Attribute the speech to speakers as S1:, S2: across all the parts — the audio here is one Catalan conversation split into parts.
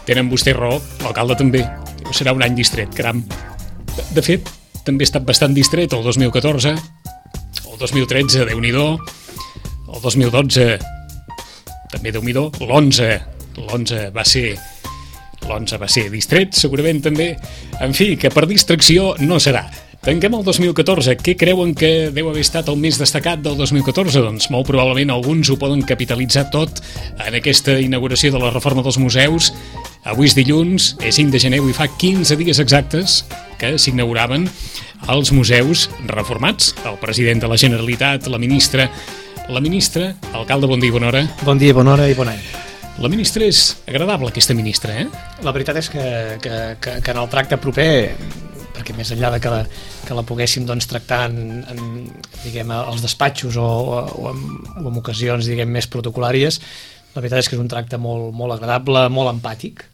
S1: tenen vostè raó, l'alcalde també. Serà un any distret, caram. De fet, també ha estat bastant distret el 2014, el 2013, Déu-n'hi-do, el 2012, també Déu-n'hi-do, l'11 va ser distret, segurament també. En fi, que per distracció no serà. Tanquem el 2014. Què creuen que deu haver estat el més destacat del 2014? Doncs molt probablement alguns ho poden capitalitzar tot en aquesta inauguració de la reforma dels museus. Avui és dilluns, és 5 de gener, i fa 15 dies exactes que s'inauguraven els museus reformats. El president de la Generalitat, la ministra, alcalde, bon dia i bona hora.
S2: Bon dia, bona hora i bon any.
S1: La ministra és agradable, aquesta ministra, eh?
S2: La veritat és que en el tracte proper, perquè més enllà de que la poguéssim tractar diguem, als despatxos o en ocasions diguem, més protocolàries, la veritat és que és un tracte molt agradable, molt empàtic.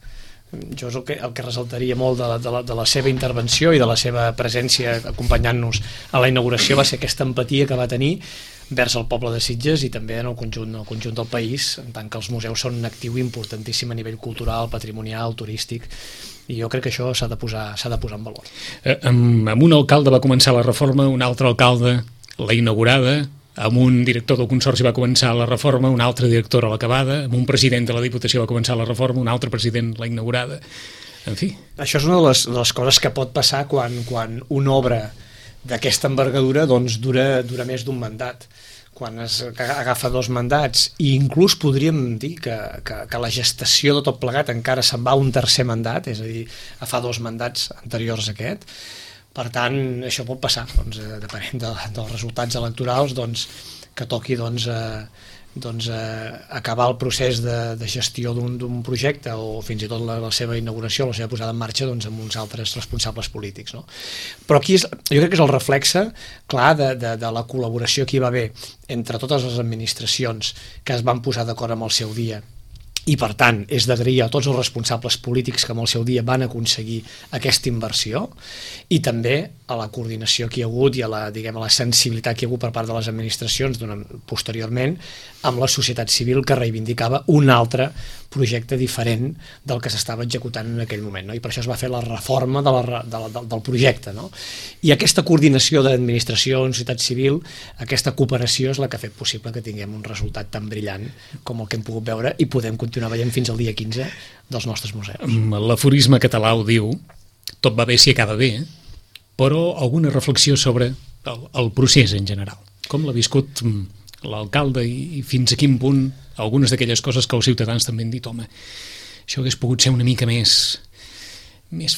S2: Jo és el que ressaltaria molt de la seva intervenció i de la seva presència acompanyant-nos a la inauguració va ser aquesta empatia que va tenir vers el poble de Sitges i també en el conjunt del país, en tant que els museus són un actiu importantíssim a nivell cultural, patrimonial, turístic, i jo crec que això s'ha de posar en valor.
S1: Amb un alcalde va començar la reforma, un altre alcalde la inaugurada, amb un director del Consorci va començar la reforma, un altre director a l'acabada, amb un president de la Diputació va començar la reforma, un altre president la inaugurada, en fi.
S2: Això és una de les coses que pot passar quan una obra d'aquesta envergadura dura més d'un mandat. Quan es agafa 2 mandats, i inclús podríem dir que la gestació de tot plegat encara se'n va a un tercer mandat, és a dir, fa 2 mandats anteriors a aquest. Per tant, això pot passar, depenent dels resultats electorals, que toqui acabar el procés de gestió d'un projecte o fins i tot la seva inauguració, la seva posada en marxa amb uns altres responsables polítics, no? Però aquí jo crec que és el reflexe clar de la col·laboració que hi va haver entre totes les administracions que es van posar d'acord amb el seu dia, i per tant és d'agrair a tots els responsables polítics que en el seu dia van aconseguir aquesta inversió, i també a la coordinació que hi ha hagut i a la sensibilitat que hi ha hagut per part de les administracions posteriorment amb la societat civil que reivindicava un altre projecte diferent del que s'estava executant en aquell moment, no? I per això es va fer la reforma del projecte, no? I aquesta coordinació d'administració, societat civil, aquesta cooperació és la que ha fet possible que tinguem un resultat tan brillant com el que hem pogut veure i podem continuar veient fins al dia 15 dels nostres museus.
S1: L'aforisme català ho diu, tot va bé si acaba bé, però alguna reflexió sobre el procés en general. Com l'ha viscut l'alcalde i fins a quin punt algunes d'aquelles coses que els ciutadans també han dit, home, això hagués pogut ser una mica més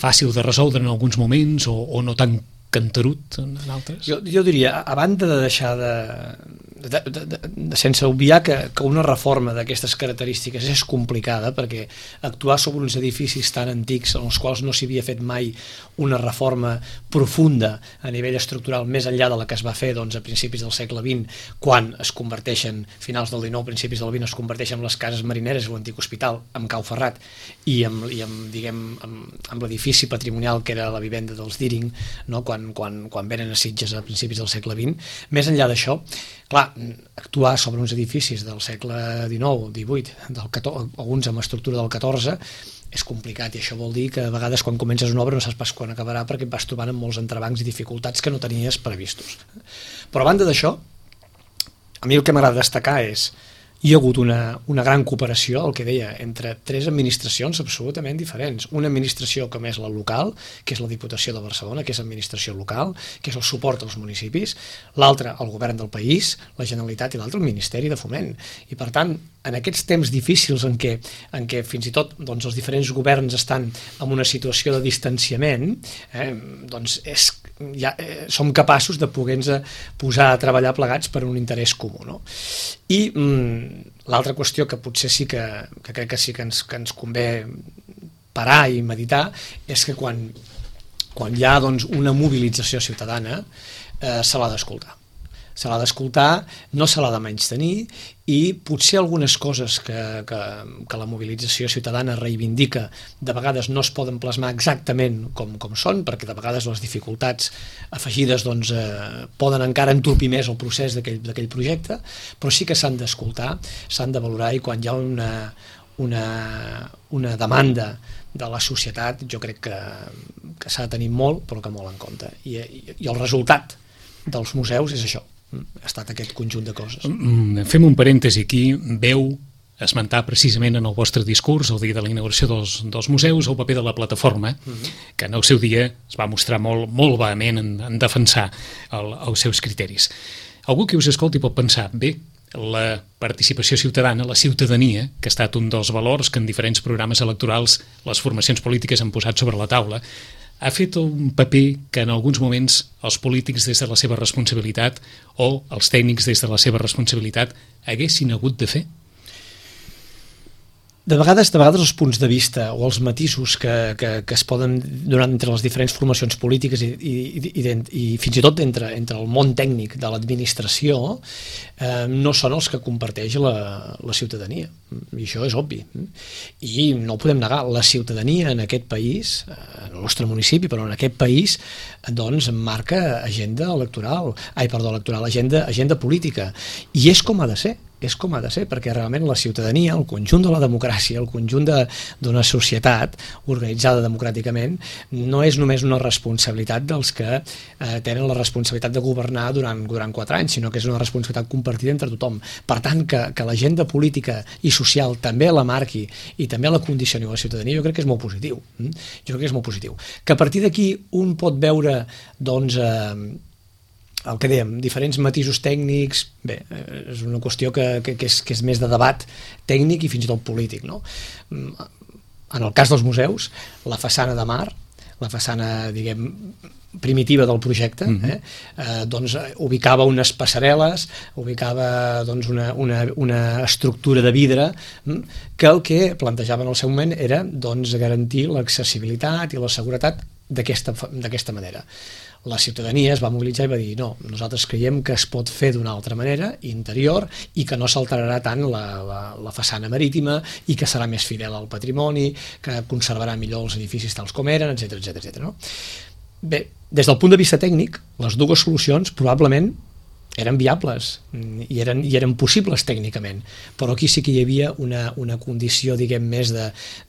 S1: fàcil de resoldre en alguns moments o no tan canterut en altres?
S2: Jo diria, a banda de deixar sense obviar que una reforma d'aquestes característiques és complicada, perquè actuar sobre uns edificis tan antics en els quals no s'hi havia fet mai una reforma profunda a nivell estructural més enllà de la que es va fer a principis del segle XX, quan es converteixen, finals del XIX, principis del XX, es converteixen les cases marineres i l'antic hospital amb Cau Ferrat i amb l'edifici patrimonial que era la vivenda dels Deering, no? Quan venen a Sitges a principis del segle XX. Més enllà d'això, clar, actuar sobre uns edificis del segle XIX, XVIII, alguns amb estructura del XIV, és complicat, i això vol dir que a vegades quan comences una obra no saps pas quan acabarà perquè et vas trobant amb molts entrebancs i dificultats que no tenies previstos. Però a banda d'això, a mi el que m'agrada destacar és hi ha hagut una gran cooperació, el que deia, entre 3 administracions absolutament diferents. Una administració com és la local, que és la Diputació de Barcelona, que és administració local, que és el suport als municipis, l'altra el govern del país, la Generalitat, i l'altre el Ministeri de Foment. I per tant, en aquests temps difícils en què fins i tot els diferents governs estan en una situació de distanciament, som capaços de poder-nos posar a treballar plegats per un interès comú, no? I l'altra qüestió que potser sí que crec que sí que ens convé parar i meditar és que quan hi ha una mobilització ciutadana se l'ha d'escoltar. Se l'ha d'escoltar, no se l'ha de menystenir, i potser algunes coses que la mobilització ciutadana reivindica de vegades no es poden plasmar exactament com són, perquè de vegades les dificultats afegides poden encara entorpir més el procés d'aquell projecte, però sí que s'han d'escoltar, s'han de valorar, i quan hi ha una demanda de la societat, jo crec que s'ha de tenir molt, però que molt en compte. I el resultat dels museus és això, ha estat aquest conjunt de coses.
S1: Fem un parèntesi aquí. Veu esmentar precisament en el vostre discurs el dia de la inauguració dels museus el paper de la plataforma, que en el seu dia es va mostrar molt vehement en defensar els seus criteris. Algú que us escolti pot pensar, bé, la participació ciutadana, la ciutadania, que ha estat un dels valors que en diferents programes electorals les formacions polítiques han posat sobre la taula, ha fet un paper que en alguns moments els polítics des de la seva responsabilitat o els tècnics des de la seva responsabilitat haguessin hagut de fer?
S2: De vegades els punts de vista o els matisos que es poden donar entre les diferents formacions polítiques i fins i tot entre el món tècnic de l'administració no són els que comparteix la ciutadania, i això és obvi. I no ho podem negar, la ciutadania en aquest país, en el nostre municipi, però en aquest país, doncs marca agenda electoral, agenda política, i és com ha de ser. És com ha de ser, perquè realment la ciutadania, el conjunt de la democràcia, el conjunt d'una societat organitzada democràticament, no és només una responsabilitat dels que tenen la responsabilitat de governar durant 4 anys, sinó que és una responsabilitat compartida entre tothom. Per tant, que l'agenda política i social també la marqui i també la condicioni a la ciutadania, jo crec que és molt positiu. Que a partir d'aquí un pot veure, doncs, el que dèiem, diferents matisos tècnics, bé, és una qüestió que és més de debat tècnic i fins i tot polític, no? En el cas dels museus, la façana de mar, la façana, diguem, primitiva del projecte, doncs ubicava unes passarel·les, ubicava doncs, una estructura de vidre que el que plantejava en el seu moment era doncs, garantir l'accessibilitat i la seguretat d'aquesta manera. La ciutadania es va mobilitzar i va dir no, nosaltres creiem que es pot fer d'una altra manera, interior, i que no s'alterarà tant la façana marítima i que serà més fidel al patrimoni, que conservarà millor els edificis tals com eren, etc. No? Bé, des del punt de vista tècnic, les dues solucions probablement eren viables i eren possibles tècnicament, però aquí sí que hi havia una condició, diguem, més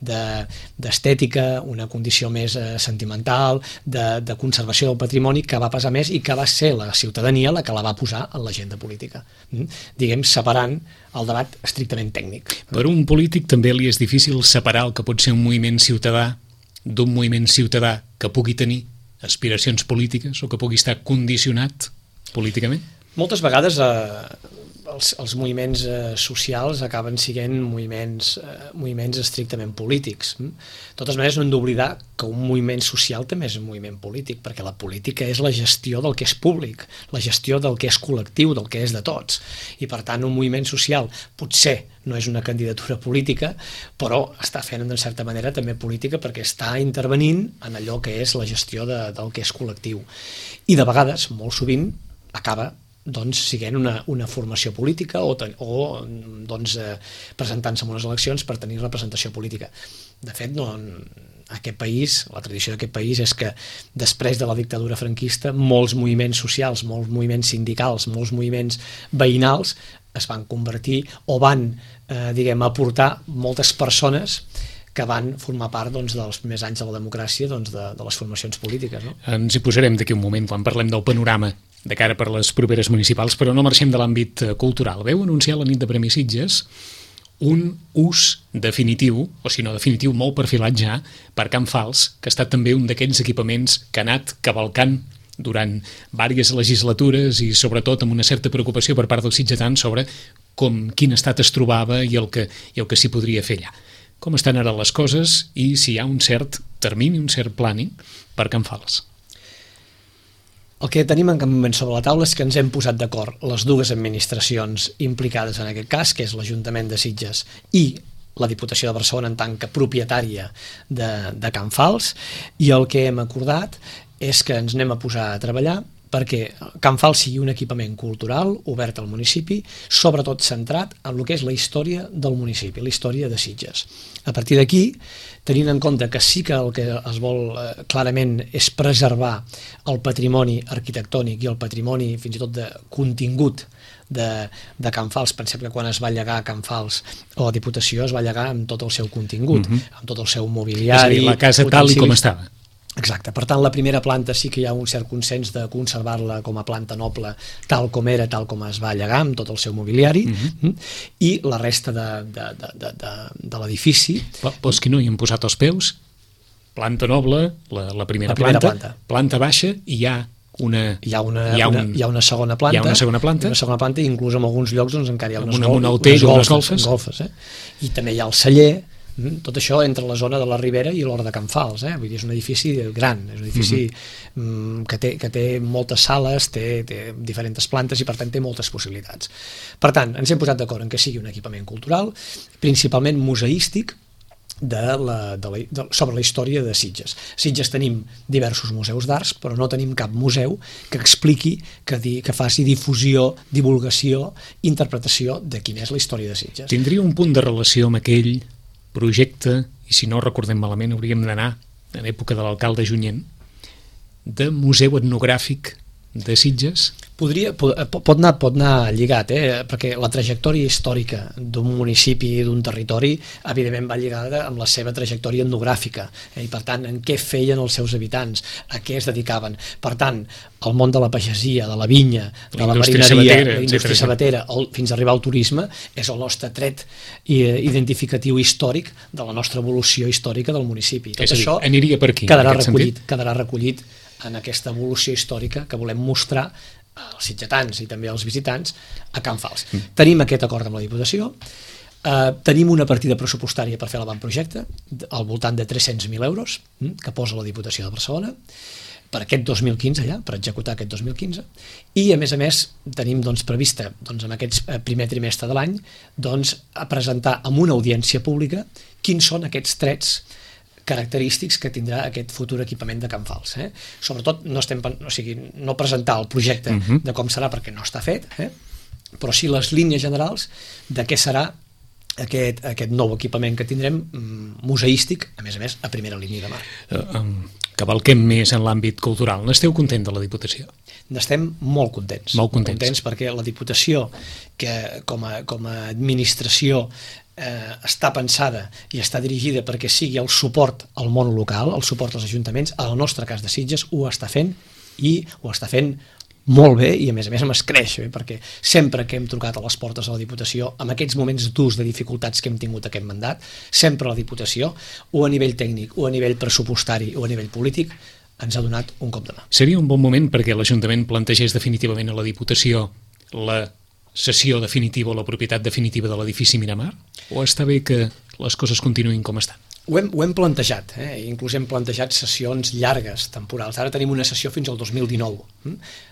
S2: d'estètica, una condició més sentimental, de conservació del patrimoni, que va pesar més i que va ser la ciutadania la que la va posar en l'agenda política, diguem, separant el debat estrictament tècnic.
S1: Per un polític també li és difícil separar el que pot ser un moviment ciutadà d'un moviment ciutadà que pugui tenir aspiracions polítiques o que pugui estar condicionat políticament?
S2: Moltes vegades els moviments socials acaben sent moviments estrictament polítics. De totes maneres, no hem d'oblidar que un moviment social també és un moviment polític, perquè la política és la gestió del que és públic, la gestió del que és col·lectiu, del que és de tots. I per tant, un moviment social potser no és una candidatura política, però està fent en certa manera també política perquè està intervenint en allò que és la gestió del que és col·lectiu. I de vegades, molt sovint, acaba doncs siguent una formació política o doncs, presentant-se en unes eleccions per tenir representació política. De fet, aquest país, la tradició d'aquest país és que després de la dictadura franquista molts moviments socials, molts moviments sindicals, molts moviments veïnals es van convertir o van, aportar moltes persones que van formar part doncs, dels primers anys de la democràcia doncs, de les formacions polítiques. No?
S1: Ens hi posarem d'aquí un moment quan parlem del panorama de cara per les properes municipals, però no marxem de l'àmbit cultural. Veu anunciar la nit de Premi Sitges un ús definitiu, o si no definitiu, molt perfilat ja, per Can Fals, que ha estat també un d'aquests equipaments que ha anat cavalcant durant diverses legislatures i sobretot amb una certa preocupació per part dels sitgetans sobre quin estat es trobava i el que s'hi podria fer allà. Com estan ara les coses i si hi ha un cert termini, un cert planning per Can Fals?
S2: El que tenim en cap moment sobre la taula és que ens hem posat d'acord les dues administracions implicades en aquest cas, que és l'Ajuntament de Sitges i la Diputació de Barcelona en tant que propietària de Can Fals, i el que hem acordat és que ens anem a posar a treballar perquè Can Fals sigui un equipament cultural obert al municipi, sobretot centrat en el que és la història del municipi, la història de Sitges. A partir d'aquí, tenint en compte que sí que el que es vol clarament és preservar el patrimoni arquitectònic i el patrimoni fins i tot de contingut de Can Fals. Pensem que quan es va llegar a Can Fals o a la Diputació es va llegar amb tot el seu contingut, amb tot el seu mobiliari.
S1: És a dir, la casa tal i com estava.
S2: Exacte, per tant la primera planta sí que hi ha un cert consens de conservar-la com a planta noble tal com era, tal com es va llegar amb tot el seu mobiliari, i la resta de l'edifici.
S1: Però és que no hi han posat els peus, planta noble, la primera planta, planta baixa, i hi ha una
S2: segona planta.
S1: Hi ha una segona
S2: planta, i inclús en alguns llocs doncs, encara hi ha
S1: unes golfes.
S2: I també hi ha el celler. Tot això entre la zona de la Ribera i l'Hort de Can Fals, vull dir, és un edifici gran, és un edifici que té moltes sales, té diferents plantes i per tant té moltes possibilitats. Per tant, ens hem posat d'acord en que sigui un equipament cultural, principalment museístic, sobre la història de Sitges. Sitges tenim diversos museus d'arts, però no tenim cap museu que expliqui, que faci difusió, divulgació, interpretació de quina és la història de Sitges.
S1: Tindria un punt de relació amb aquell projecte, i si no recordem malament hauríem d'anar en època de l'alcalde Junyent, de museu etnogràfic de Sitges?
S2: Pot anar lligat, perquè la trajectòria històrica d'un municipi i d'un territori evidentment va lligada amb la seva trajectòria etnogràfica, i per tant en què feien els seus habitants, a què es dedicaven. Per tant, el món de la pagesia, de la vinya, de la marineria, la indústria sabatera, fins a arribar al turisme, és el nostre tret identificatiu històric de la nostra evolució històrica del municipi. Tot això
S1: aniria per aquí,
S2: quedarà recollit en aquesta evolució històrica que volem mostrar als sitgetans i també als visitants a Can Fals. Tenim aquest acord amb la Diputació, tenim una partida pressupostària per fer l'avantprojecte al voltant de 300.000 euros que posa la Diputació de Barcelona per aquest 2015 ja, per executar aquest 2015, i a més tenim prevista en aquest primer trimestre de l'any a presentar amb una audiència pública quins són aquests trets característics que tindrà aquest futur equipament de Can Fals. Sobretot no presentar el projecte de com serà perquè no està fet, però sí les línies generals de què serà aquest nou equipament que tindrem museístic, a més, a primera línia de mar.
S1: Cavalquem més en l'àmbit cultural. N'esteu content de la Diputació?
S2: N'estem molt contents.
S1: Molt contents
S2: perquè la Diputació, que com a administració està pensada i està dirigida perquè sigui el suport al món local, el suport als ajuntaments, al nostre cas de Sitges ho està fent, i ho està fent molt bé, i a més amb escreix, perquè sempre que hem trucat a les portes de la Diputació, en aquests moments durs de dificultats que hem tingut aquest mandat, sempre la Diputació, o a nivell tècnic, o a nivell pressupostari, o a nivell polític, ens ha donat un cop de mà.
S1: Seria un bon moment perquè l'Ajuntament plantegés definitivament a la Diputació la cessió definitiva o la propietat definitiva de l'edifici Miramar? O està bé que les coses continuïn com estan?
S2: Ho hem plantejat, inclús hem plantejat sessions llargues, temporals. Ara tenim una sessió fins al 2019.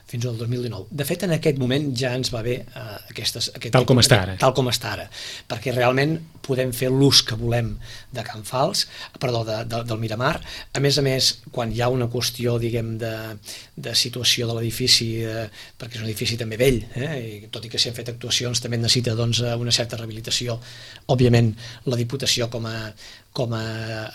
S2: De fet, en aquest moment ja ens va bé
S1: tal com està
S2: ara, perquè realment podem fer l'ús que volem de Can Fals, del Miramar. A més, quan hi ha una qüestió, diguem, de situació de l'edifici, perquè és un edifici també vell, i tot i que s'hi han fet actuacions també necessita una certa rehabilitació. Òbviament, la Diputació com a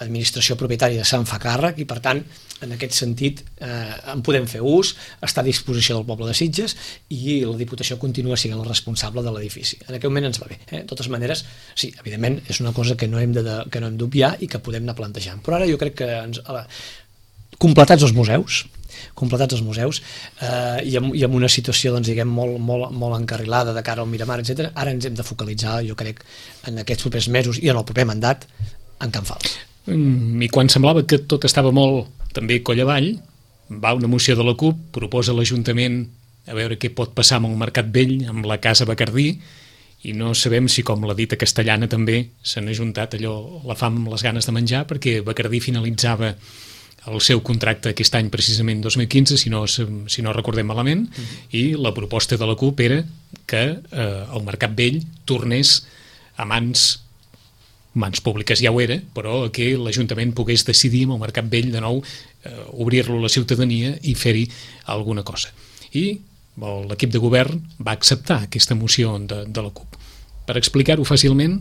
S2: administració propietària se'n fa càrrec, i per tant, en aquest sentit, en podem fer ús, està a disposició del poble de Sitges, i la Diputació continua sent la responsable de l'edifici. En aquest moment ens va bé. De totes maneres, sí, evidentment, és una cosa que no hem d'obviar i que podem anar plantejant. Però ara jo crec que completats els museus, i amb una situació, diguem, molt encarrilada de cara al Miramar, etc., ara ens hem de focalitzar, jo crec, en aquests propers mesos i en el proper mandat, en Can Fals.
S1: I quan semblava que tot estava molt també coll avall, va una moció de la CUP, proposa a l'Ajuntament a veure què pot passar amb el Mercat Vell, amb la Casa Bacardí, i no sabem si, com la dita castellana, també s'han ajuntat la fam amb les ganes de menjar, perquè Bacardí finalitzava el seu contracte aquest any, precisament 2015, si no recordem malament, i la proposta de la CUP era que el Mercat Vell tornés a mans públiques, ja ho era, però que l'Ajuntament pogués decidir amb el Mercat Vell de nou obrir-lo a la ciutadania i fer-hi alguna cosa. I l'equip de govern va acceptar aquesta moció de la CUP. Per explicar-ho fàcilment,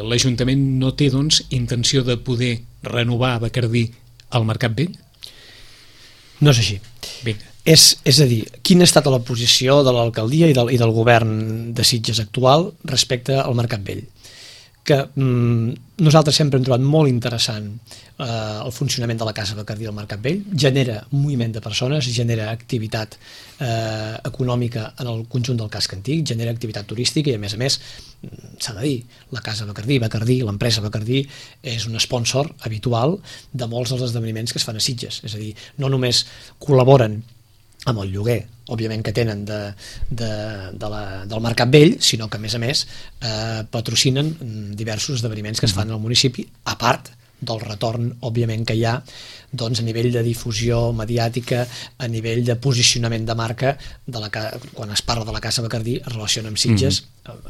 S1: l'Ajuntament no té, doncs, intenció de poder renovar a Bacardí el Mercat Vell?
S2: No és així.
S1: Vinga.
S2: És a dir, quina ha estat la posició de l'alcaldia i del govern de Sitges actual respecte al Mercat Vell? Que nosaltres sempre hem trobat molt interessant el funcionament de la Casa Bacardí al Mercat Vell, genera moviment de persones, genera activitat econòmica en el conjunt del casc antic, genera activitat turística i a més s'ha de dir, la Casa Bacardí, l'empresa Bacardí és un sponsor habitual de molts dels esdeveniments que es fan a Sitges, és a dir, no només col·laboren amb el lloguer, òbviament que tenen del Mercat Vell, sinó que a més patrocinen diversos esdeveniments que es fan al municipi, a part del retorn, òbviament, que hi ha doncs, a nivell de difusió mediàtica, a nivell de posicionament de marca, quan es parla de la Casa Bacardí es relaciona amb Sitges,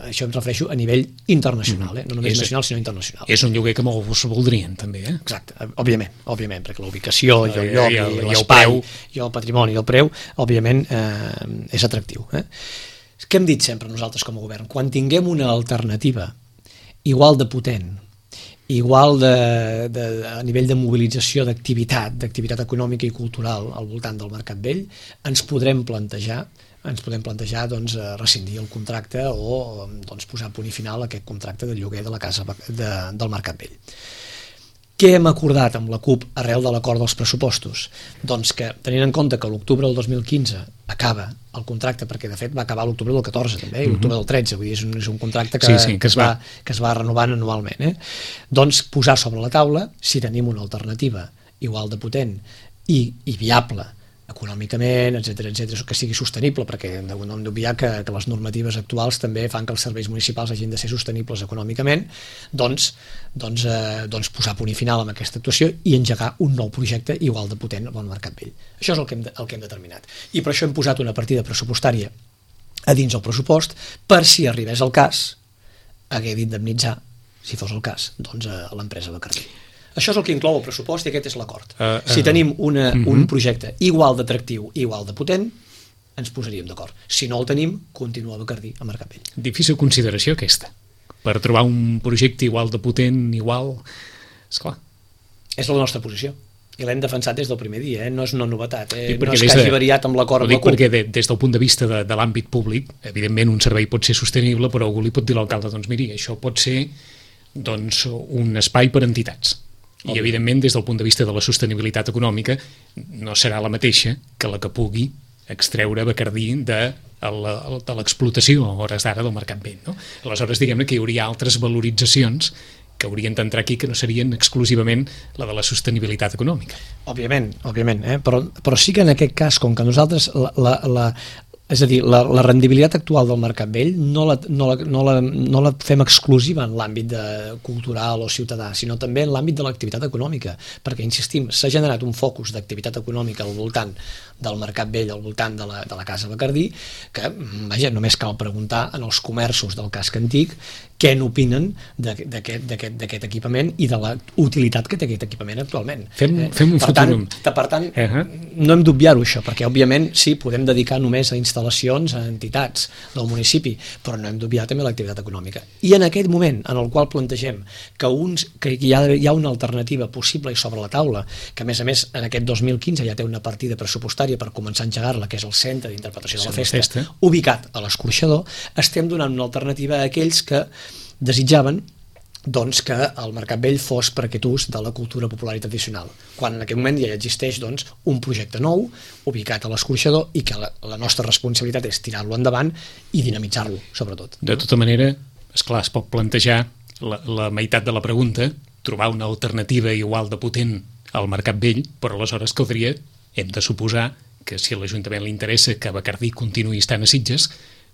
S2: això em refereixo a nivell internacional, no només nacional sinó internacional.
S1: És un lloguer que molts voldrien també,
S2: Exacte, òbviament, perquè la ubicació i el lloc i l'espai i el patrimoni i el preu, òbviament és atractiu. Què hem dit sempre nosaltres com a govern? Quan tinguem una alternativa igual de potent, igual a nivell de mobilització d'activitat econòmica i cultural al voltant del Mercat Vell, ens podem plantejar doncs, rescindir el contracte o doncs, posar punt i final a aquest contracte de lloguer de la casa del Mercat Vell. Què hem acordat amb la CUP arrel de l'acord dels pressupostos? Doncs que, tenint en compte que l'octubre del 2015 acaba el contracte, perquè de fet va acabar l'octubre del 14 també, i l'octubre del 13, vull dir, és un contracte que es va renovant anualment, doncs posar sobre la taula si tenim una alternativa igual de potent i viable econòmicament, etc, que sigui sostenible, perquè no hem d'obviar que les normatives actuals també fan que els serveis municipals hagin de ser sostenibles econòmicament, doncs posar punt i final amb aquesta actuació i engegar un nou projecte igual de potent al Mercat Vell. Això és el que hem determinat. I per això hem posat una partida pressupostària a dins el pressupost per si arribés el cas hagué d'indemnitzar, si fos el cas, doncs a l'empresa Bacardí. Això és el que inclou el pressupost i aquest és l'acord. Si tenim un projecte igual d'atractiu i igual de potent, ens posaríem d'acord. Si no el tenim, continua Bacardí a Mercat Vell.
S1: Difícil consideració aquesta. Per trobar un projecte igual de potent, igual... Esclar.
S2: És la nostra posició. I l'hem defensat des del primer dia, no és una novetat. No és que hagi variat amb l'acord amb la CUP.
S1: Perquè des del punt de vista de l'àmbit públic, evidentment un servei pot ser sostenible, però algú li pot dir a l'alcalde, doncs miri, això pot ser un espai per a entitats. I evidentment des del punt de vista de la sostenibilitat econòmica no serà la mateixa que la que pugui extreure Bacardí de l'explotació a hores d'ara del Mercat Vell, no? Aleshores, diguem-ne que hi hauria altres valoritzacions que haurien d'entrar aquí que no serien exclusivament la de la sostenibilitat econòmica.
S2: Òbviament, però sí que en aquest cas, com que nosaltres és a dir, la rendibilitat actual del Mercat Vell no la fem exclusiva en l'àmbit cultural o ciutadà, sinó també en l'àmbit de l'activitat econòmica, perquè, insistim, s'ha generat un focus d'activitat econòmica al voltant del Mercat Vell, al voltant de la Casa Bacardí, que, vaja, només cal preguntar en els comerços del casc antic què n'opinen d'aquest equipament i de la utilitat que té aquest equipament actualment.
S1: Fem un futur.
S2: Per tant, no hem d'obviar-ho això, perquè òbviament sí, podem dedicar només a instal·lacions a entitats del municipi, però no hem d'obviar també l'activitat econòmica. I en aquest moment en el qual plantegem que hi ha una alternativa possible i sobre la taula, que a més en aquest 2015 ja té una partida pressupostària per començar a engegar-la, que és el Centre d'Interpretació de la Festa, ubicat a l'Escorxador, estem donant una alternativa a aquells que desitjaven doncs, que el Mercat Vell fos per aquest ús de la cultura popular i tradicional, quan en aquest moment ja existeix doncs, un projecte nou ubicat a l'Escorxador i que la nostra responsabilitat és tirar-lo endavant i dinamitzar-lo, sobretot.
S1: De tota manera, esclar, es pot plantejar la meitat de la pregunta, trobar una alternativa igual de potent al Mercat Vell, però aleshores caldria, hem de suposar que si a l'Ajuntament li interessa que Bacardí continuï estant a Sitges,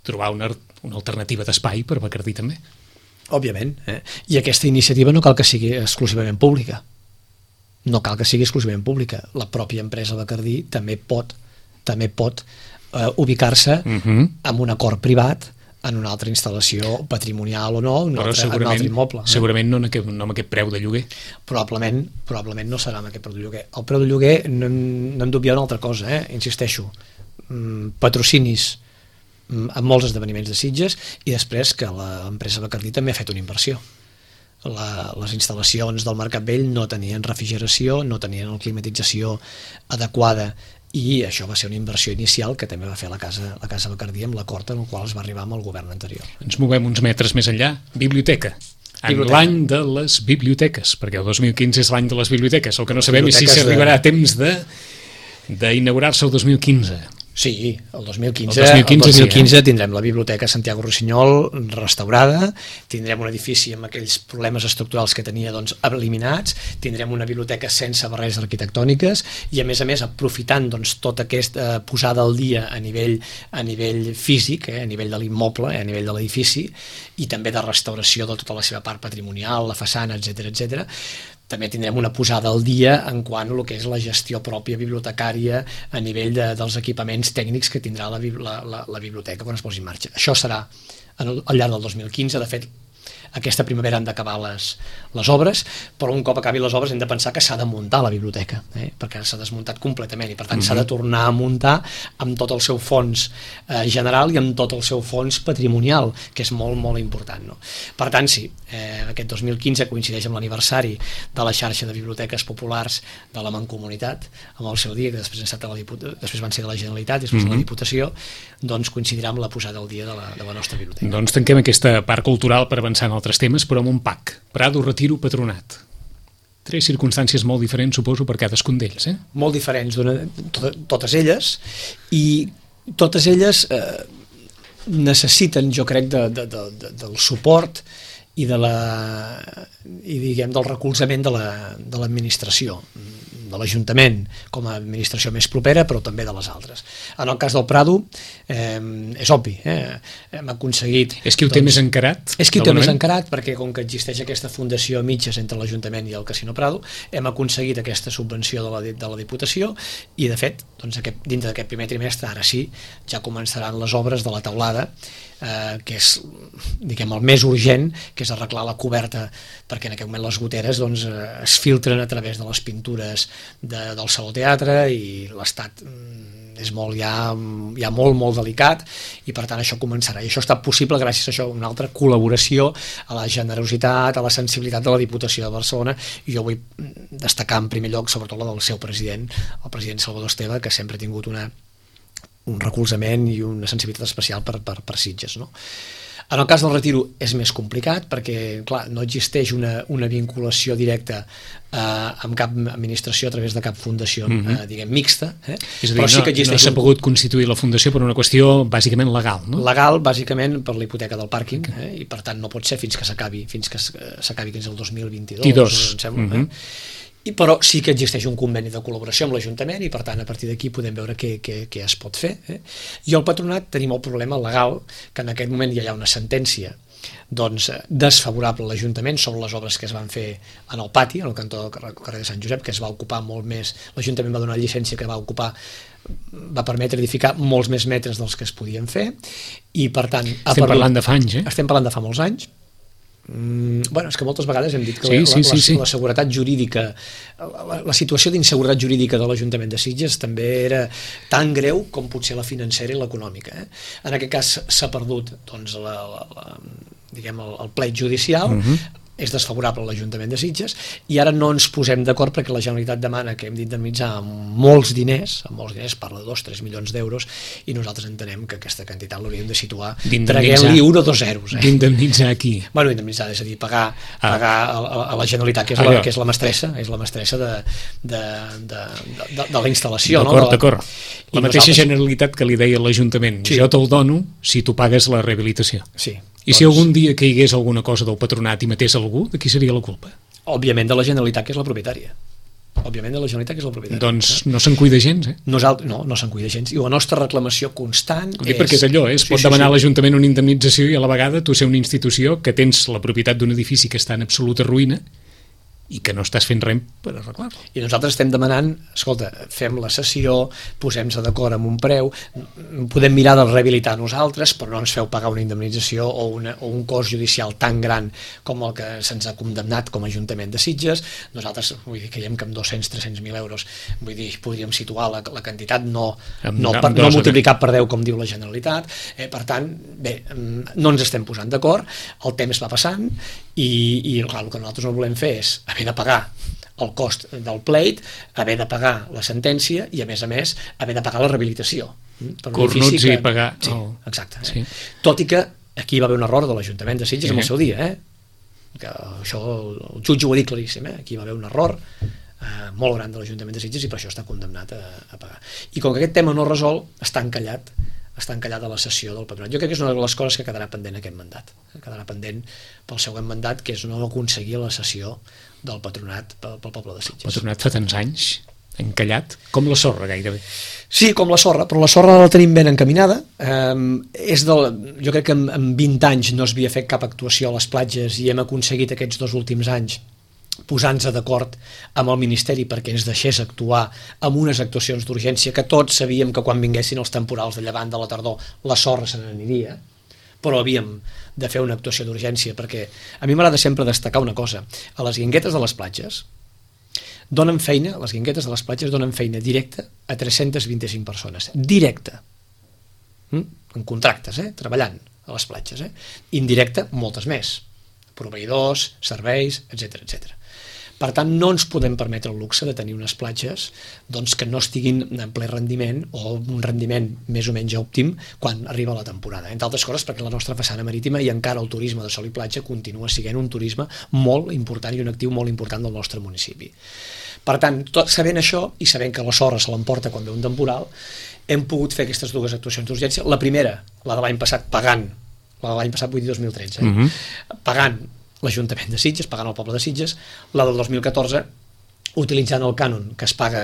S1: trobar una alternativa d'espai per Bacardí també.
S2: Òbviament, i aquesta iniciativa no cal que sigui exclusivament pública. No cal que sigui exclusivament pública. La pròpia empresa Bacardí també pot ubicar-se amb un acord privat en una altra instal·lació patrimonial o no, un altre immoble.
S1: Segurament no amb aquest preu de lloguer.
S2: Probablement no serà amb aquest preu de lloguer. El preu de lloguer no hem d'obviar una altra cosa, insisteixo. patrocinis en molts esdeveniments de Sitges, i després que l'empresa Bacardí també ha fet una inversió. Les instal·lacions del Mercat Vell no tenien refrigeració, no tenien la climatització adequada, i això va ser una inversió inicial que també va fer la casa Bacardí amb l'acord en el qual es va arribar amb el govern anterior.
S1: Ens movem uns metres més enllà. Biblioteca. En l'any de les biblioteques, perquè el 2015 és l'any de les biblioteques. El que no sabem és si s'arribarà a temps d'inaugurar-se el 2015.
S2: Sí, el 2015 tindrem la Biblioteca Santiago Rossinyol restaurada, tindrem un edifici amb aquells problemes estructurals que tenia eliminats, tindrem una biblioteca sense barreres arquitectòniques i, a més, aprofitant tota aquesta posada al dia a nivell físic, a nivell de l'immoble, a nivell de l'edifici, i també de restauració de tota la seva part patrimonial, la façana, etc. També tindrem una posada al dia en quant a el que és la gestió pròpia bibliotecària a nivell dels equipaments tècnics que tindrà la biblioteca quan es posi en marxa. Això serà al llarg del 2015. De fet, aquesta primavera han d'acabar les obres, però un cop acabi les obres hem de pensar que s'ha de muntar la biblioteca, perquè s'ha desmuntat completament i per tant s'ha de tornar a muntar amb tot el seu fons general i amb tot el seu fons patrimonial, que és molt, molt important, no? Per tant, sí, aquest 2015 coincideix amb l'aniversari de la xarxa de biblioteques populars de la Mancomunitat, amb el seu dia, que després van ser de la Generalitat, després de la Diputació, doncs coincidirà amb la posada al dia de la nostra biblioteca.
S1: Doncs tanquem aquesta part cultural per avançar en altres temes, però amb un pack. Prado, Retiro, Patronat. 3 circumstàncies molt diferents, suposo, per cadascun d'ells,
S2: Molt diferents, totes elles, i totes elles necessiten, jo crec, del suport i del recolzament de l'administració, de l'Ajuntament com a administració més propera, però també de les altres. En el cas del Prado és obvi, hem aconseguit...
S1: És qui ho té més encarat?
S2: És qui ho té més encarat, perquè com que existeix aquesta fundació a mitges entre l'Ajuntament i el Casino Prado, hem aconseguit aquesta subvenció de la Diputació i, de fet, dintre d'aquest primer trimestre, ara sí, ja començaran les obres de la teulada, que és, diguem, el més urgent, que és arreglar la coberta, perquè en aquest moment les goteres es filtren a través de les pintures del Saló Teatre i l'estat és ja molt, molt delicat, i per tant això començarà. I això ha estat possible gràcies a això, una altra col·laboració, a la generositat, a la sensibilitat de la Diputació de Barcelona, i jo vull destacar en primer lloc sobretot la del seu president, el president Salvador Esteve, que sempre ha tingut un recolzament i una sensibilitat especial per Sitges, no? En el cas del Retiro és més complicat perquè, clar, no existeix una vinculació directa amb cap administració a través de cap fundació, diguem, mixta.
S1: És a dir, no s'ha pogut constituir la fundació per una qüestió bàsicament legal, no?
S2: Legal, bàsicament, per la hipoteca del pàrquing, i per tant no pot ser fins que s'acabi, que és el 2022, em sembla. Però sí que existeix un conveni de col·laboració amb l'Ajuntament i per tant a partir d'aquí podem veure què es pot fer. I al Patronat tenim el problema legal que en aquest moment ja hi ha una sentència desfavorable a l'Ajuntament sobre les obres que es van fer en el pati, en el cantó del carrer de Sant Josep, que es va ocupar molt més, l'Ajuntament va donar llicència que va permetre edificar molts més metres dels que es podien fer, i per tant...
S1: Estem parlant de fa anys,
S2: Estem parlant de fa molts anys. És que moltes vegades hem dit que la seguretat jurídica, la situació d'inseguretat jurídica de l'Ajuntament de Sitges també era tan greu com potser la financera i l'econòmica. En aquest cas s'ha perdut el plet judicial, és desfavorable a l'Ajuntament de Sitges, i ara no ens posem d'acord perquè la Generalitat demana que hem d'indemnitzar amb molts diners, parla de 2-3 milions d'euros, i nosaltres entenem que aquesta quantitat l'hauríem de situar, traguem-li 1 o 2 zeros.
S1: D'indemnitzar a qui?
S2: Indemnitzar, és a dir, pagar a la Generalitat, que és la mestressa de la instal·lació.
S1: D'acord. La mateixa Generalitat que li deia l'Ajuntament, jo te'l dono si tu pagues la rehabilitació.
S2: Sí.
S1: I si algun dia caigués alguna cosa del Patronat i matés algú, de qui seria la culpa?
S2: Òbviament de la Generalitat, que és la propietària.
S1: Doncs no se'n cuida gens,
S2: No se'n cuida gens. I la nostra reclamació constant és...
S1: Perquè és allò, es pot demanar a l'Ajuntament una indemnització i a la vegada tu ser una institució que tens la propietat d'un edifici que està en absoluta ruïna i que no estàs fent res per arreglar-lo.
S2: I nosaltres estem demanant, escolta, fem la sessió, posem-se d'acord amb un preu, podem mirar de rehabilitar nosaltres, però no ens feu pagar una indemnització o un cost judicial tan gran com el que se'ns ha condemnat com a Ajuntament de Sitges. Nosaltres, vull dir, creiem que amb 200-300.000 euros, vull dir, podríem situar la quantitat, no multiplicar per 10 com diu la Generalitat. Per tant, bé, no ens estem posant d'acord, el temps va passant i clar, el que nosaltres no volem fer és haver de pagar el cost del pleit, haver de pagar la sentència i, a més, haver de pagar la rehabilitació.
S1: Cornuts i pagar...
S2: Sí, exacte. Sí. Tot i que aquí va haver un error de l'Ajuntament de Sitges en el seu dia, que això el jutge ho ha dit claríssim, aquí va haver un error molt gran de l'Ajuntament de Sitges i per això està condemnat a pagar. I com que aquest tema no es resol, està encallat a la sessió del Patronat. Jo crec que és una de les coses que quedarà pendent aquest mandat. Quedarà pendent pel següent mandat, que és no aconseguir la sessió del Patronat pel poble de Sitges.
S1: El Patronat fa tants anys, encallat, com la sorra gairebé.
S2: Sí, com la sorra, però la sorra la tenim ben encaminada. Jo crec que en 20 anys no s'havia fet cap actuació a les platges i hem aconseguit aquests 2 últims anys posant-se d'acord amb el Ministeri perquè ens deixés actuar amb unes actuacions d'urgència que tots sabíem que quan vinguessin els temporals de llevant de la tardor la sorra se n'aniria, però havíem de fer una actuació d'urgència perquè a mi m'agrada sempre destacar una cosa: a les guinguetes de les platges donen feina, les guinguetes de les platges donen feina directa a 325 persones, directa, en contractes, treballant a les platges, indirecta moltes més, proveïdors, serveis, etc. Per tant, no ens podem permetre el luxe de tenir unes platges que no estiguin en ple rendiment o un rendiment més o menys òptim quan arriba la temporada. Entre altres coses perquè la nostra façana marítima i encara el turisme de sol i platja continua sent un turisme molt important i un actiu molt important del nostre municipi. Per tant, sabent això i sabent que la sorra se l'emporta quan ve un temporal, hem pogut fer aquestes 2 actuacions d'urgència. La primera, la de l'any passat, pagant, la de l'any passat vull dir 2013, pagant l'Ajuntament de Sitges, pagant el poble de Sitges, la del 2014 utilitzant el cànon que es paga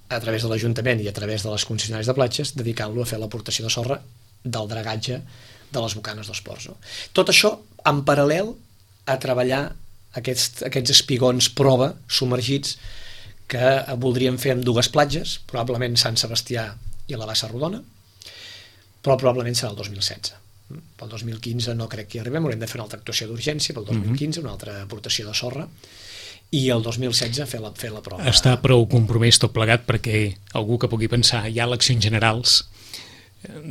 S2: a través de l'Ajuntament i a través de les concessionàries de platges, dedicant-lo a fer l'aportació de sorra del dragatge de les bocanes dels ports. Tot això en paral·lel a treballar aquests espigons prova submergits que voldríem fer amb 2 platges, probablement Sant Sebastià i la Bassa Rodona, però probablement serà el 2016. Pel 2015 no crec que hi arribem, haurem de fer una altra actuació d'urgència, pel 2015 una altra aportació de sorra i el 2016 fer la prova.
S1: Està prou compromès tot plegat perquè algú que pugui pensar hi ha eleccions generals,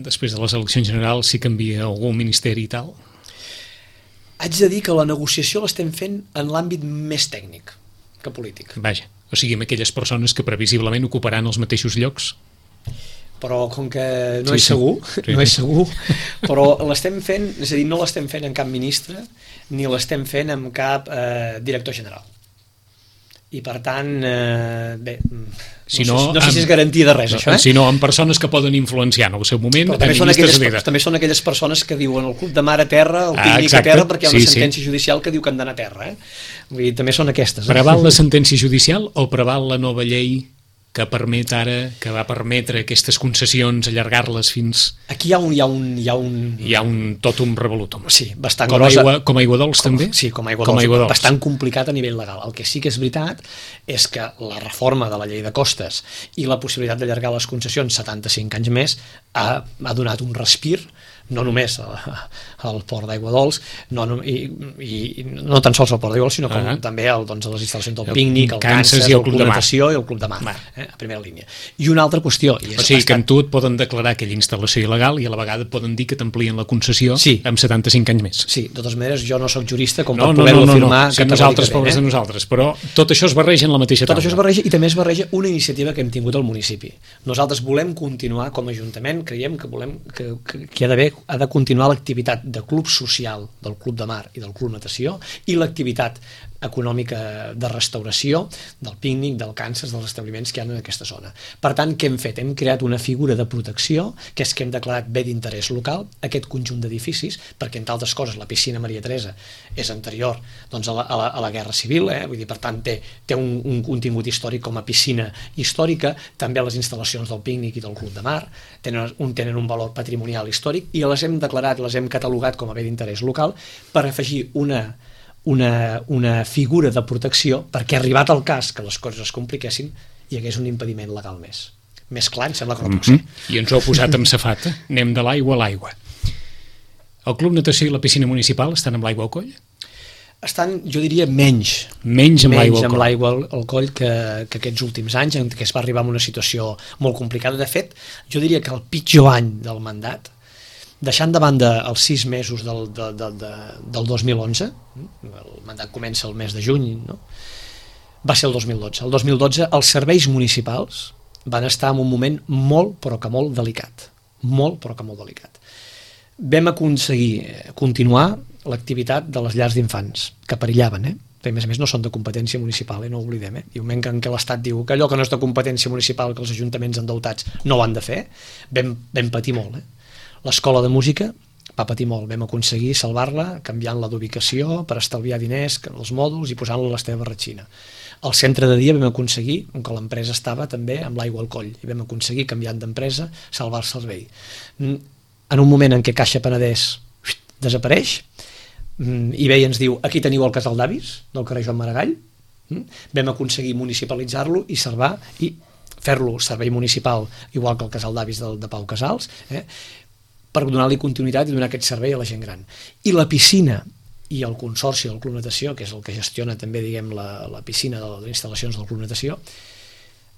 S1: després de les eleccions generals si canvia algun ministeri i tal?
S2: Haig de dir que la negociació l'estem fent en l'àmbit més tècnic que polític.
S1: Vaja, o sigui, amb aquelles persones que previsiblement ocuparan els mateixos llocs?
S2: Però com que no és segur, però l'estem fent, és a dir, no l'estem fent en cap ministre ni l'estem fent amb cap director general. I per tant, bé, no sé si és garantia de res, això.
S1: Sinó amb persones que poden influenciar en el seu moment.
S2: També són aquelles persones que diuen el club de mar a terra, el pícnic a terra, perquè hi ha una sentència judicial que diu que han d'anar a terra. Vull dir, també són aquestes.
S1: Preval la sentència judicial o preval la nova llei que permet ara, que va permetre aquestes concessions, allargar-les fins...
S2: Aquí hi ha un
S1: totum revolutum.
S2: Sí, bastant gros.
S1: Com aigua dolç, també?
S2: Sí, com aigua dolç. Bastant complicat a nivell legal. El que sí que és veritat és que la reforma de la llei de costes i la possibilitat d'allargar les concessions 75 anys més ha donat un respir, no només al port d'Aigua Dols, i no tan sols al port d'Aigua Dols, sinó com també a les instal·lacions del pícnic, el Kansas, el Club Natació i el Club de Mar, a primera línia. I una altra qüestió...
S1: O sigui que amb tu et poden declarar aquella instal·lació il·legal i a la vegada et poden dir que t'amplien la concessió amb 75 anys més.
S2: Sí, de totes maneres, jo no soc jurista com per poder-ho afirmar.
S1: Sí, nosaltres, pobres de nosaltres, però tot això es barreja en la mateixa taula.
S2: Tot això es barreja i també es barreja una iniciativa que hem tingut al municipi. Nosaltres volem continuar com a Ajuntament, creiem que ha de continuar l'activitat de club social del Club de Mar i del Club Natació i l'activitat econòmica de restauració, del pícnic, del Kansas, dels establiments que hi ha en aquesta zona. Per tant, què hem fet? Hem creat una figura de protecció, que és que hem declarat bé d'interès local aquest conjunt d'edificis, perquè, entre altres coses, la piscina Maria Teresa és anterior a la Guerra Civil, vull dir, per tant, té un contingut històric com a piscina històrica, també les instal·lacions del pícnic i del Club de Mar tenen un valor patrimonial històric i les hem declarat, les hem catalogat com a bé d'interès local per afegir una figura de protecció perquè, arribat el cas que les coses es compliquessin, hi hagués un impediment legal més clar, em sembla que no pot ser.
S1: I ens ho ha posat amb safata. Anem de l'aigua a l'aigua. El Club Natació i la piscina municipal estan amb l'aigua al coll?
S2: Estan, jo diria, menys
S1: amb
S2: l'aigua al coll que aquests últims anys, en què es va arribar a una situació molt complicada. De fet, jo diria que el pitjor any del mandat, deixant de banda els 6 mesos del 2011, el mandat comença el mes de juny, no? Va ser el 2012. El 2012 els serveis municipals van estar en un moment molt, però que molt delicat. Molt, però que molt delicat. Vam aconseguir continuar l'activitat de les llars d'infants, que perillaven, perquè a més no són de competència municipal, no ho oblidem. I un moment en què l'Estat diu que allò que no és de competència municipal, que els ajuntaments endeutats no ho han de fer, vam patir molt. L'escola de música va patir molt, vam aconseguir salvar-la canviant-la d'ubicació per estalviar diners, els mòduls, i posant-la a l'Esteve Ratxina. El centre de dia vam aconseguir, on que l'empresa estava també amb l'aigua al coll, i vam aconseguir, canviant d'empresa, salvar el servei. En un moment en què Caixa Penedès desapareix, eBay ens diu, aquí teniu el casal d'avis del carrer Joan Maragall, vam aconseguir municipalitzar-lo i salvar, i fer-lo servei municipal, igual que el casal d'avis de Pau Casals, per donar-li continuïtat i donar aquest servei a la gent gran. I la piscina i el Consorci del Club Natació, que és el que gestiona també, diguem, la piscina de les instal·lacions del Club Natació,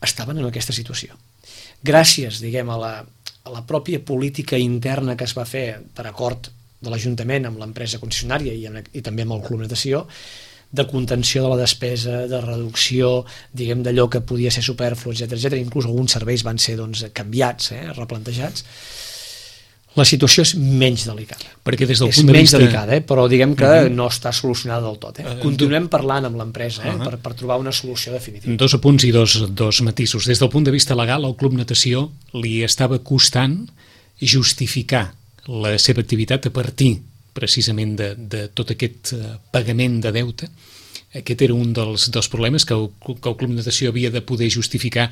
S2: estaven en aquesta situació. Gràcies, diguem, a la pròpia política interna que es va fer per acord de l'Ajuntament amb l'empresa concessionària i també amb el Club Natació, de contenció de la despesa, de reducció, diguem, d'allò que podia ser superflu, etc. Inclús alguns serveis van ser canviats, replantejats. La situació és menys delicada.
S1: Perquè des del punt de vista...
S2: És menys delicada, però diguem que no està solucionada del tot. Continuem parlant amb l'empresa per trobar una solució definitiva.
S1: 2 apunts i dos matisos. Des del punt de vista legal, al Club Natació li estava costant justificar la seva activitat a partir precisament de tot aquest pagament de deute. Aquest era un dels problemes, que el Club Natació havia de poder justificar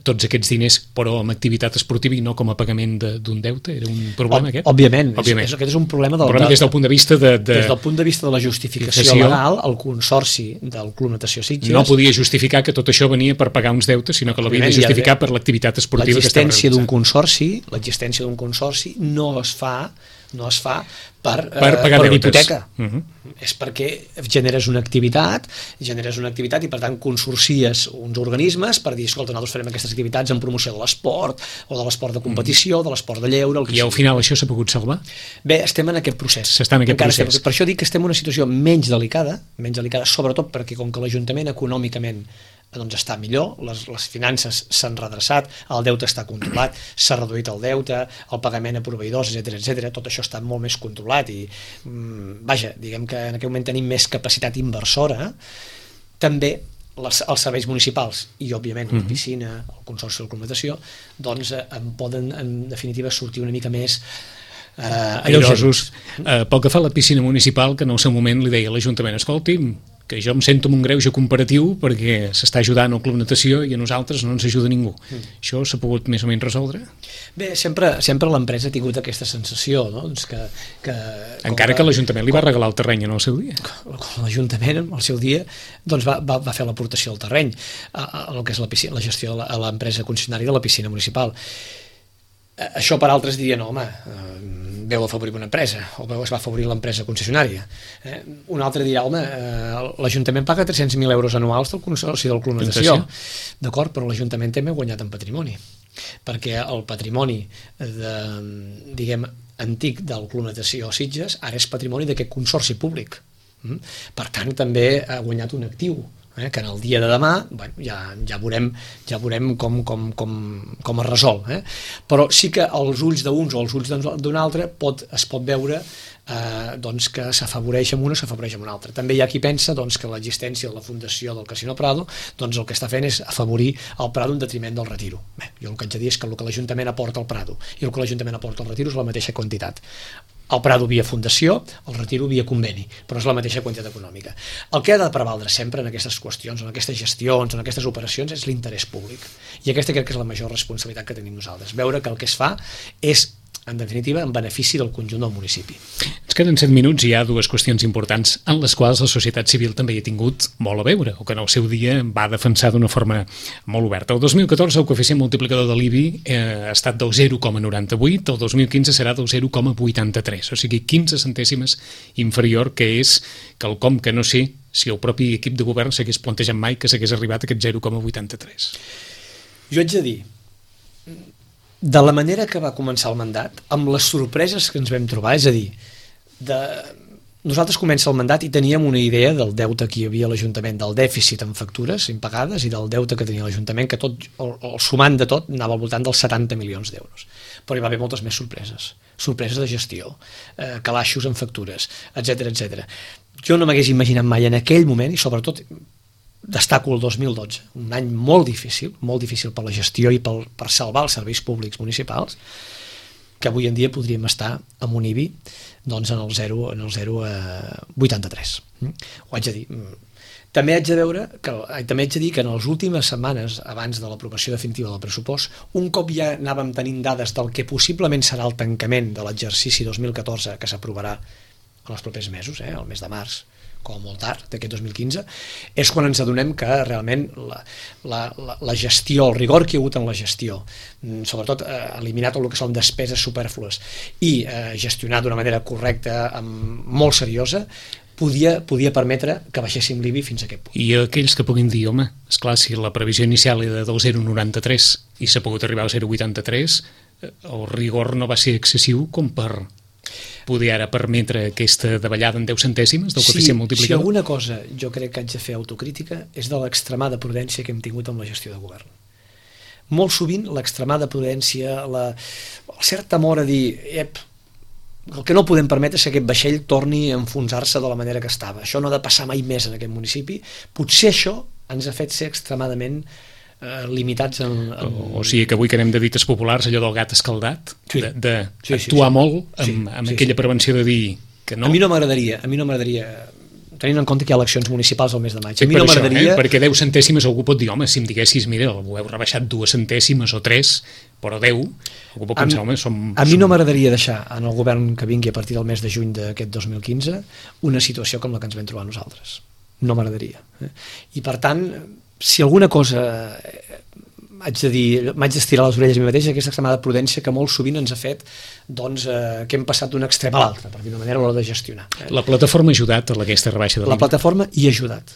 S1: tots aquests diners, però amb activitat esportiva i no com a pagament d'un deute. Era un problema aquest?
S2: Òbviament. Aquest és un problema
S1: des del punt de vista
S2: des del punt de vista de la justificació legal, el Consorci del Club Natació Sitges
S1: no podia justificar que tot això venia per pagar uns deutes, sinó que l'havia de justificar per l'activitat esportiva que estava realitzant.
S2: L'existència d'un consorci no es fa per
S1: pagar
S2: per
S1: deutes.
S2: Hipoteca. És perquè generes una activitat i per tant consorcies uns organismes per dir, escolta, nosaltres farem aquestes activitats en promoció de l'esport o de l'esport de competició, de l'esport de lleure...
S1: I al final això s'ha pogut salvar?
S2: Bé, estem en aquest procés. Per això dic que estem en una situació menys delicada, sobretot perquè com que l'Ajuntament econòmicament està millor, les finances s'han redreçat, el deute està controlat, s'ha reduït el deute, el pagament a proveïdors, etc. Tot això està molt més controlat i, diguem que en aquest moment tenim més capacitat inversora. També els serveis municipals i, òbviament, la piscina, el Consorci del Club Natació, doncs en poden, en definitiva, sortir una mica més
S1: airosos. Pel que fa a la piscina municipal, que en el seu moment li deia a l'Ajuntament, escolti, que jo em sento amb un greuge comparatiu perquè s'està ajudant el Club Natació i a nosaltres no ens ajuda ningú. Això s'ha pogut més o menys resoldre?
S2: Bé, sempre l'empresa ha tingut aquesta sensació, no?
S1: Encara que l'Ajuntament li va regalar el terreny en el seu dia.
S2: L'Ajuntament, al seu dia, va fer l'aportació del terreny a el que és la gestió de l'empresa concessionària de la piscina municipal. Això per altres dirien, no, home, veu afavorir una empresa, o es va afavorir l'empresa concessionària. Un altre dirà, home, l'Ajuntament paga 300.000 euros anuals del Consorci del Club Natació. D'acord, però l'Ajuntament també ha guanyat en patrimoni, perquè el patrimoni, diguem, antic del Club Natació Sitges ara és patrimoni d'aquest consorci públic. Per tant, també ha guanyat un actiu, que en el dia de demà ja veurem com es resol. Però sí que als ulls d'uns o als ulls d'un altre es pot veure que s'afavoreix amb un o s'afavoreix amb un altre. També hi ha qui pensa que l'existència de la fundació del Casino Prado el que està fent és afavorir el Prado en detriment del Retiro. Jo el que haig de dir és que el que l'Ajuntament aporta al Prado i el que l'Ajuntament aporta al Retiro és la mateixa quantitat. El Prado via fundació, el Retiro via conveni, però és la mateixa quantitat econòmica. El que ha de prevaldre sempre en aquestes qüestions, en aquestes gestions, en aquestes operacions, és l'interès públic. I aquesta crec que és la major responsabilitat que tenim nosaltres. Veure que el que es fa és en definitiva, en benefici del conjunt del municipi.
S1: Ens queden 7 minuts i hi ha dues qüestions importants en les quals la societat civil també hi ha tingut molt a veure, o que en el seu dia va defensar d'una forma molt oberta. El 2014 el coeficient multiplicador de l'IBI ha estat del 0,98, el 2015 serà del 0,83, o sigui 15 centèsimes inferior, que és quelcom que no sé si el propi equip de govern s'hagués plantejat mai que s'hagués arribat a aquest 0,83.
S2: Jo haig de dir, de la manera que va començar el mandat, amb les sorpreses que ens vam trobar, és a dir, nosaltres comença el mandat i teníem una idea del deute que hi havia a l'Ajuntament, del dèficit en factures impagades i del deute que tenia l'Ajuntament, que tot, el sumant de tot anava al voltant dels 70 milions d'euros. Però hi va haver moltes més sorpreses de gestió, calaixos en factures, etc etc. Jo no m'hagués imaginat mai en aquell moment, i sobretot destaco el 2012, un any molt difícil per la gestió i per salvar els serveis públics municipals, que avui en dia podríem estar amb un IBI doncs en el 0,83. Ho haig de dir. També haig de dir que en les últimes setmanes, abans de l'aprovació definitiva del pressupost, un cop ja anàvem tenint dades del que possiblement serà el tancament de l'exercici 2014, que s'aprovarà en els propers mesos, el mes de març, com molt tard, d'aquest 2015, és quan ens adonem que realment la gestió, el rigor que hi ha hagut en la gestió, sobretot eliminar tot el que són despeses supèrflues i gestionar d'una manera correcta, molt seriosa, podia permetre que baixéssim l'IBI fins a aquest punt.
S1: I aquells que puguin dir, home, esclar, si la previsió inicial era del 0,93 i s'ha pogut arribar al 0,83, el rigor no va ser excessiu com per poder ara permetre aquesta davallada en 10 centèsimes del coeficient multiplicador?
S2: Si alguna cosa jo crec que haig de fer autocrítica és de l'extremada prudència que hem tingut amb la gestió de govern. Molt sovint l'extremada prudència, el cert temor a dir el que no podem permetre és que aquest vaixell torni a enfonsar-se de la manera que estava. Això no ha de passar mai més en aquest municipi. Potser això ens ha fet ser extremadament limitats
S1: o sigui que avui que anem de dites populars, allò del gat escaldat, d'actuar molt amb aquella prevenció de dir que no.
S2: A mi no m'agradaria tenint en compte que hi ha eleccions municipals al mes de maig. A mi no m'agradaria...
S1: perquè 10 centèsimes algú pot dir, home, si em diguessis, mira, ho heu rebaixat 2 centèsimes o 3, però 10, algú pot pensar, home,
S2: a mi no m'agradaria deixar en el govern que vingui a partir del mes de juny d'aquest 2015 una situació com la que ens vam trobar nosaltres. No m'agradaria. I per tant, si alguna cosa haig de dir, m'haig d'estirar les orelles a mi mateix, aquesta extremada prudència que molt sovint ens ha fet que hem passat d'un extrem a l'altre, per dir una manera, a l'hora de gestionar.
S1: La plataforma ha ajudat a aquesta rebaixa de l'IBI?
S2: La plataforma hi ha ajudat.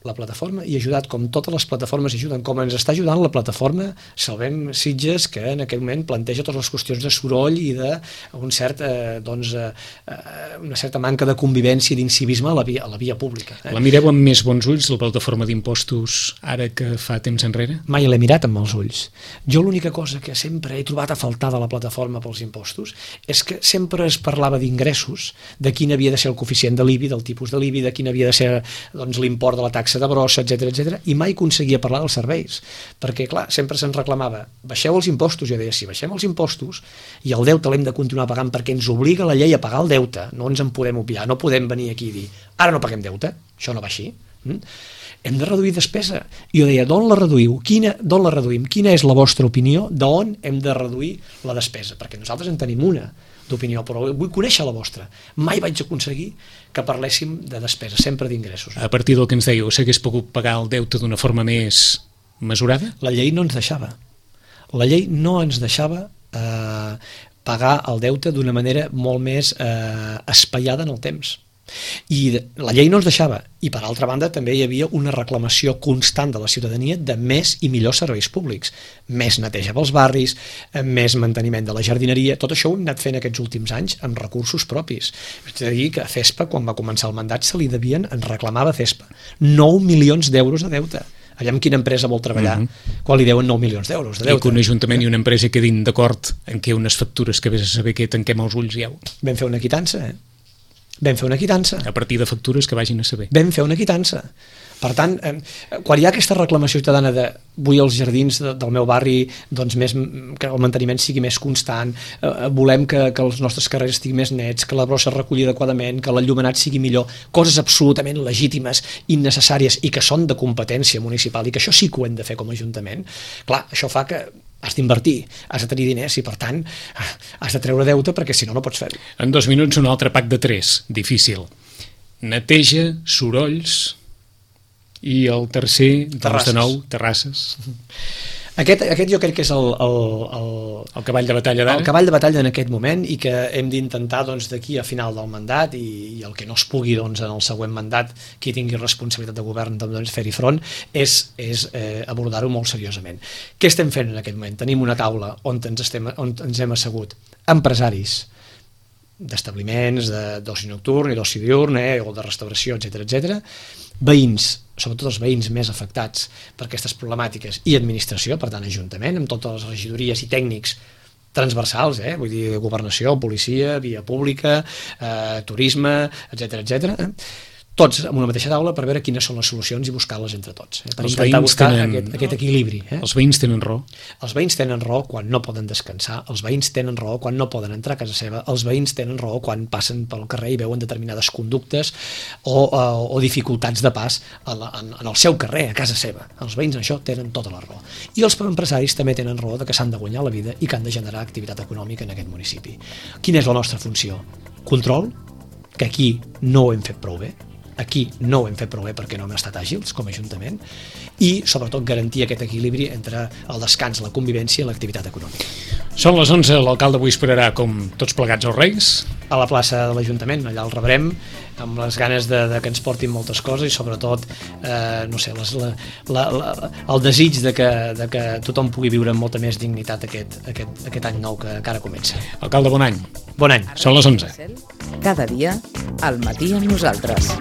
S2: La plataforma hi ha ajudat, com totes les plataformes hi ajuden, com ens està ajudant la plataforma Salvem Sitges, que en aquest moment planteja totes les qüestions de soroll i una certa manca de convivència i d'incivisme a la via pública.
S1: La mireu amb més bons ulls, la plataforma d'impostos, ara que fa temps enrere?
S2: Mai l'he mirat amb els ulls. Jo l'única cosa que sempre he trobat a faltar de la plataforma pels impostos és que sempre es parlava d'ingressos, de quin havia de ser el coeficient de l'IBI, del tipus de l'IBI, de quin havia de ser l'import de la taxa de brossa, etc, i mai aconseguia parlar dels serveis, perquè clar, sempre se'n reclamava, baixeu els impostos. Jo deia, si baixem els impostos i el deute l'hem de continuar pagant perquè ens obliga la llei a pagar el deute, no ens en podem obviar, no podem venir aquí i dir, ara no paguem deute, això no va així. Hem de reduir despesa. I jo deia, d'on la reduïu? D'on la reduïm? Quina és la vostra opinió d'on hem de reduir la despesa? Perquè nosaltres en tenim una d'opinió, però vull conèixer la vostra. Mai vaig aconseguir que parléssim de despesa, sempre d'ingressos.
S1: A partir del que ens dèieu, s'hagués pogut pagar el deute d'una forma més mesurada?
S2: La llei no ens deixava. La llei no ens deixava pagar el deute d'una manera molt més espaiada en el temps. I la llei no ens deixava, i per altra banda també hi havia una reclamació constant de la ciutadania de més i millors serveis públics, més neteja pels barris, més manteniment de la jardineria. Tot això ho hem anat fent aquests últims anys amb recursos propis. És a dir, que a CESPA, quan va començar el mandat, se li devien, ens reclamava CESPA 9 milions d'euros de deute. Allà amb quina empresa vol treballar quan li deuen 9 milions d'euros de deute.
S1: I que un ajuntament i una empresa quedin d'acord en què unes factures que vés a saber que tanquem els ulls ja.
S2: Vam fer una quitança, Vam fer una quitança.
S1: A partir de factures que vagin a saber.
S2: Vam fer una quitança. Per tant, quan hi ha aquesta reclamació ciutadana de vull els jardins del meu barri que el manteniment sigui més constant, volem que els nostres carrers estiguin més nets, que la brossa es reculli adequadament, que l'enllumenat sigui millor, coses absolutament legítimes, innecessàries i que són de competència municipal i que això sí que ho hem de fer com a Ajuntament, clar, això fa que has d'invertir, has de tenir diners i per tant has de treure deute perquè si no, no pots fer-ho.
S1: En 2 minuts un altre pack de 3, difícil. Neteja, sorolls i el tercer, doncs de nou, terrasses.
S2: Aquest jo crec que és el
S1: cavall de batalla d'ara.
S2: El cavall de batalla en aquest moment i que hem d'intentar d'aquí a final del mandat i el que no es pugui en el següent mandat, qui tingui responsabilitat de govern fer-hi front, és abordar-ho molt seriosament. Què estem fent en aquest moment? Tenim una taula on ens hem assegut empresaris d'establiments d'oci nocturn i d'oci diurn o de restauració, etc, veïns, sobretot els veïns més afectats per aquestes problemàtiques i administració, per tant ajuntament, amb totes les regidories i tècnics transversals, vull dir governació, policia, via pública, turisme, etc, tots en una mateixa taula per veure quines són les solucions i buscar-les entre tots, per intentar buscar aquest equilibri.
S1: Els veïns tenen raó.
S2: Els veïns tenen raó quan no poden descansar, els veïns tenen raó quan no poden entrar a casa seva, els veïns tenen raó quan passen pel carrer i veuen determinades conductes o dificultats de pas en el seu carrer, a casa seva. Els veïns en això tenen tota la raó. I els empresaris també tenen raó que s'han de guanyar la vida i que han de generar activitat econòmica en aquest municipi. Quina és la nostra funció? Control, que aquí no ho hem fet prou bé, aquí no ho hem fet prou bé perquè no hem estat àgils com a Ajuntament i sobretot garantir aquest equilibri entre el descans, la convivència i l'activitat econòmica.
S1: Són les 11, l'alcalde avui esperarà com tots plegats els Reis
S2: a la plaça de l'Ajuntament, allà el rebrem amb les ganes de que ens portin moltes coses i sobretot no sé, el desig de que tothom pugui viure amb molta més dignitat aquest any nou que ara comença.
S1: Alcalde, bon any.
S2: Bon any.
S1: Són les 11.
S3: Cada dia, al matí amb nosaltres.